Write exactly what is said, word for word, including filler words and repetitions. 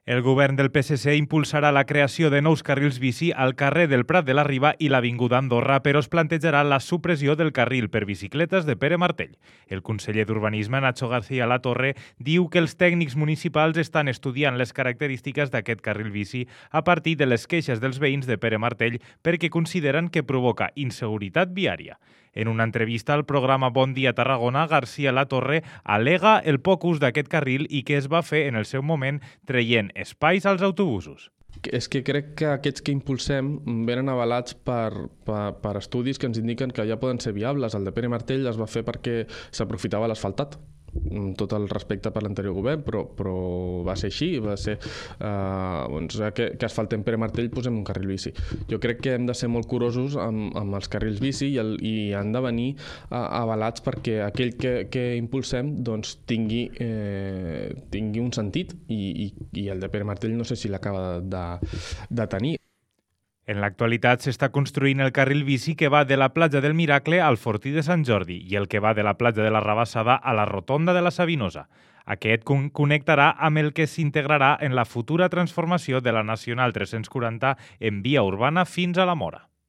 El govern del P S C impulsarà la creació de nous carrils bici al carrer del Prat de la Riba i l'Avinguda Andorra, però es plantejarà la supressió del carril per bicicletes de Pere Martell. El conseller d'Urbanisme, Nacho García Latorre, diu que els tècnics municipals estan estudiant les característiques d'aquest carril bici a partir de les queixes dels veïns de Pere Martell perquè consideren que provoca inseguretat viària. En una entrevista al programa Bon Dia Tarragona, García Latorre al·lega el poc ús d'aquest carril i que es va fer en el seu moment traient espais als autobusos. És que crec que aquests que impulsem venen avalats per, per, per estudis que ens indiquen que ja poden ser viables. El de Pere Martell es va fer perquè s'aprofitava l'asfaltat, amb tot el respecte per l'anterior govern, però, però va ser així, va ser eh, doncs, que, que asfaltem Pere Martell posem un carril bici. Jo crec que hem de ser molt curosos amb, amb els carrils bici i, el, i han de venir eh, avalats perquè aquell que, que impulsem doncs, tingui, eh, tingui un sentit i, i, i el de Pere Martell no sé si l'acaba de, de tenir. En l'actualitat s'està construint el carril bici que va de la platja del Miracle al Fortí de Sant Jordi i el que va de la platja de la Rabassada a la Rotonda de la Sabinosa. Aquest con- connectarà amb el que s'integrarà en la futura transformació de la Nacional tres-cents quaranta en via urbana fins a la Mora.